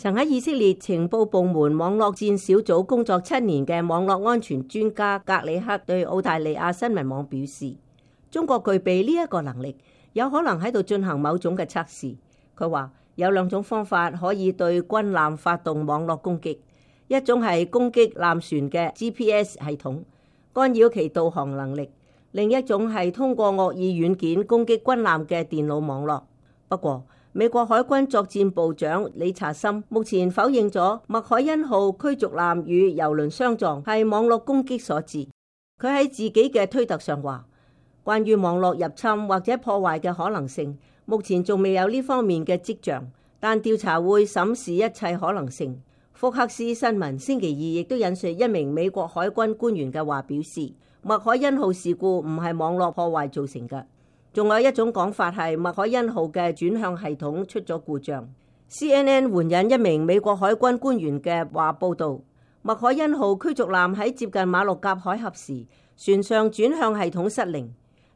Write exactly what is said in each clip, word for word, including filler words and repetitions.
曾喺以色列情報部門網絡戰小組工作七年嘅網絡安全專家格里克對澳大利亞新聞網表示，中國具備呢一個能力，有可能喺度進行某種嘅測試。佢話有兩種方法可以對軍艦發動網絡攻擊，一種係攻擊艦船嘅 G P S 系統，干擾其導航能力；另一種係通過惡意軟件攻擊軍艦嘅電腦網絡。不過，美國海軍作戰部長理查森目前否認咗麥凱恩號驅逐艦與油輪相撞係網絡攻擊所致。佢喺自己嘅推特上話，關於網絡入侵或者破壞嘅可能性，目前仲未有呢方面嘅跡象，但調查會審視一切可能性。福克斯新聞星期二亦都引述一名美國海軍官員嘅話表示，麥凱恩號事故唔係網絡破壞造成嘅。仲有一種講法係麥凱恩號嘅轉向系統出咗故障。C N N 援引一名美國海軍官員嘅話報道，麥凱恩號驅逐艦喺接近馬六甲海峽時，船上轉向系統失靈。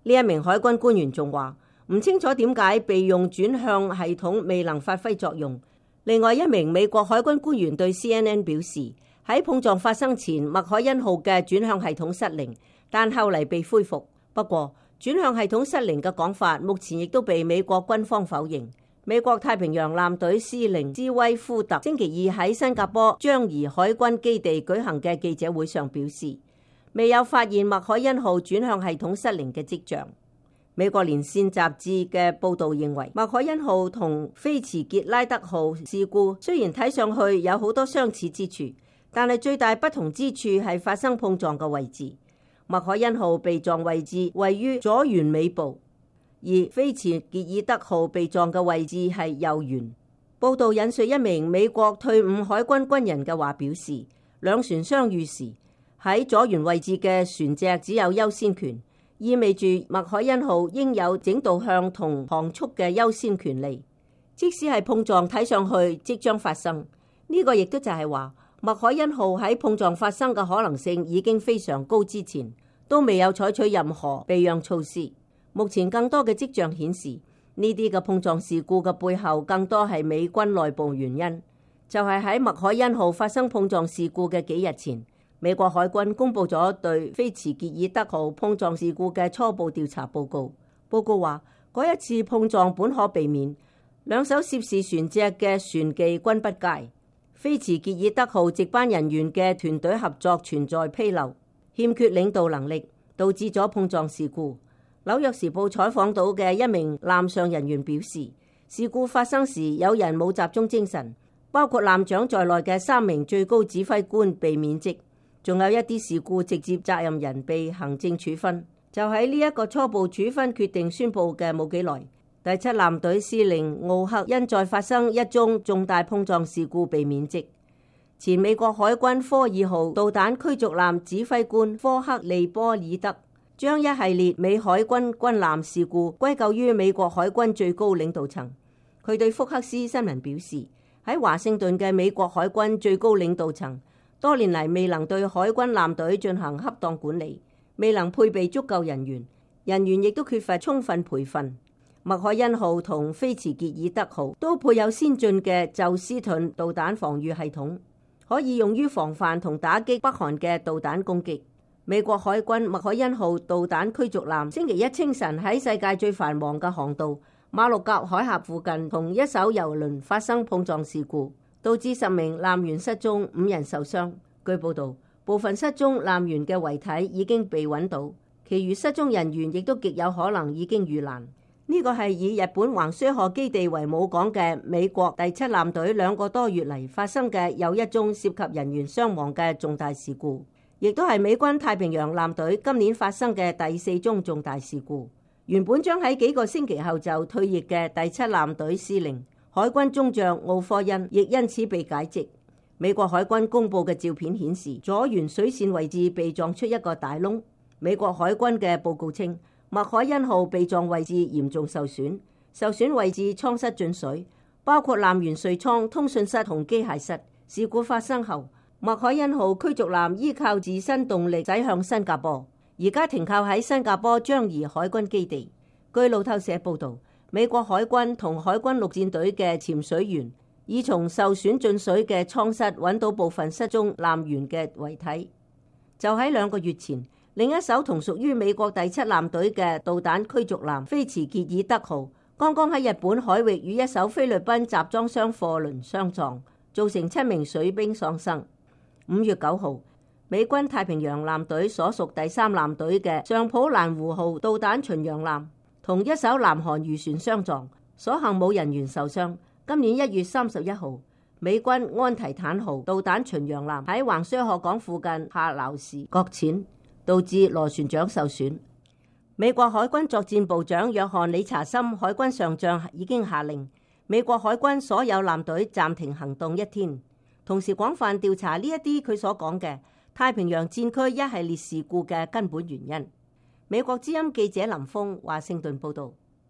呢一名海軍官員仲話唔清楚點解備用轉向系統未能發揮作用。另外一名美國海軍官員對 C N N 表示，喺碰撞發生前，麥凱恩號嘅轉向系統失靈，但後嚟被恢復。不過，轉向系統失靈嘅講法，目前亦都被美國軍方否認。美國太平洋艦隊司令斯威夫特星期二喺新加坡樟宜海軍基地舉行嘅記者會上表示，未有發現麥凱恩號轉向系統失靈嘅跡象。美國連線雜誌嘅報導認為，麥凱恩號同菲茨傑拉德號事故雖然睇上去有好多相似之處，但係最大不同之處係發生碰撞嘅位置。麥凱恩號被撞位置位於左舷尾部，而菲茨傑爾德號被撞嘅位置係右舷。報道引述一名美國退伍海軍軍人嘅話表示，兩船相遇時，喺左舷位置嘅船隻只有優先權，意味住麥凱恩號應有整導向同航速嘅優先權利。即使係碰撞睇上去即將發生，呢、這個亦都就係話，麥凱恩號喺碰撞發生嘅可能性已經非常高之前，都未有採取任何避讓措施。目前更多嘅跡象顯示，呢啲嘅碰撞事故嘅背後更多係美軍內部原因。就係喺麥凱恩號發生碰撞事故嘅幾日前，美國海軍公布咗對菲茨傑爾德號碰撞事故嘅初步調查報告。報告話，嗰一次碰撞本可避免，兩艘涉事船隻嘅船技均不佳。菲茨傑爾德號值班人員嘅團隊合作存在紕漏，欠缺領導能力，導致咗碰撞事故。紐約時報採訪到嘅一名艦上人員表示，事故發生時有人冇集中精神，包括艦長在內嘅三名最高指揮官被免職，仲有一啲事故直接責任人被行政處分。就喺呢一個初步處分決定宣佈嘅冇幾耐，第七艦隊司令奧克因再發生一宗重大碰撞事故被免職。前美國海軍科爾號導彈驅逐艦指揮官科克利波爾德將一系列美海軍軍艦事故歸咎於美國海軍最高領導層。佢對福克斯新聞表示，喺華盛頓嘅美國海軍最高領導層多年嚟未能對海軍艦隊進行恰當管理，未能配備足夠人員，人員亦都缺乏充分培訓。麥凱恩號同菲茨傑爾德號都配有先進嘅宙斯盾導彈防禦系統，可以用於防範同打擊北韓嘅導彈攻擊。美國海軍麥凱恩號導彈驅逐艦星期一清晨喺世界最繁忙嘅航道馬六甲海峽附近同一艘郵輪發生碰撞事故，導致十名艦員失蹤，五人受傷。據報道，部分失蹤艦員嘅遺體已經被揾到，其餘失蹤人員亦都極有可能已經遇難。呢個係以日本橫須賀基地為母港嘅美國第七艦隊兩個多月嚟發生嘅又一宗涉及人員傷亡嘅重大事故，亦都係美軍太平洋艦隊今年發生嘅第四宗重大事故。原本將喺幾個星期後就退役嘅第七艦隊司令海軍中將奧科恩亦因此被解職。美國海軍公佈嘅照片顯示，左舷水線位置被撞出一個大窿。美國海軍嘅報告稱，麥凱恩號被撞位置嚴重受損，受損位置艙室進水，包括艦員睡艙、通訊室同機械室。事故發生後，麥凱恩號驅逐艦依靠自身動力駛向新加坡，而家停靠喺新加坡樟宜海軍基地。據路透社報導，美國海軍同海軍陸戰隊嘅潛水員已從受損進水嘅艙室揾到部分失蹤艦員嘅遺體。就喺兩個月前，另一艘同屬於美國第七艦隊嘅導彈驅逐艦菲茨傑爾德號，剛剛喺日本海域與一艘菲律賓集裝箱貨輪相撞，造成七名水兵喪生。五月九號，美軍太平洋艦隊所屬第三艦隊嘅上普蘭湖號導彈巡洋艦同一艘南韓漁船相撞，所幸冇人員受傷。今年一月三十一號，美軍安提坦號導彈巡洋艦喺橫須賀港附近下撈時擱淺，導致螺旋槳受損。美國海軍作戰部長約翰理查森海軍上將已經下令美國海軍所有艦隊暫停行動一天，同時廣泛調查呢一啲佢所講嘅太平洋戰區一系列事故嘅根本原因。美國之音記者林峰華盛頓報道。